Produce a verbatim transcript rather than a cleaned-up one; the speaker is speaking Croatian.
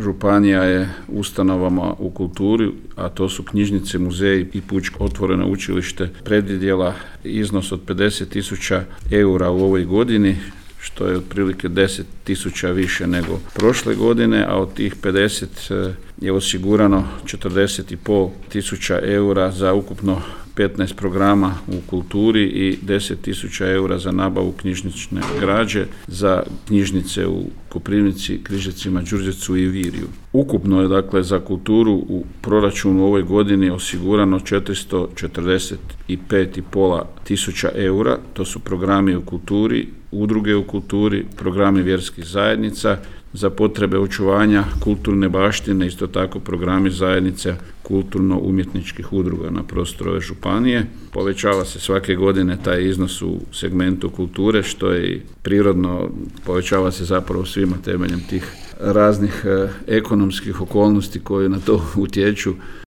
županija je ustanovama u kulturi, a to su knjižnice, muzeji i Pučko otvoreno učilište, predvidjela iznos od pedeset tisuća eura u ovoj godini, što je otprilike deset tisuća više nego prošle godine, a od tih pedeset je osigurano četrdeset i pol tisuća eura za ukupno petnaest programa u kulturi i deset tisuća eura za nabavu knjižnične građe za knjižnice u Koprivnici, Križevcima, Đurđevcu i Virju. Ukupno je dakle za kulturu u proračunu u ovoj godini osigurano četiristo četrdeset pet i pol tisuća eura, to su programi u kulturi, udruge u kulturi, programi vjerskih zajednica, za potrebe očuvanja kulturne baštine, isto tako programi zajednice kulturno-umjetničkih udruga na prostoru ove županije. Povećava se svake godine taj iznos u segmentu kulture, što je i prirodno, povećava se zapravo svima temeljem tih raznih eh, ekonomskih okolnosti koje na to utječu.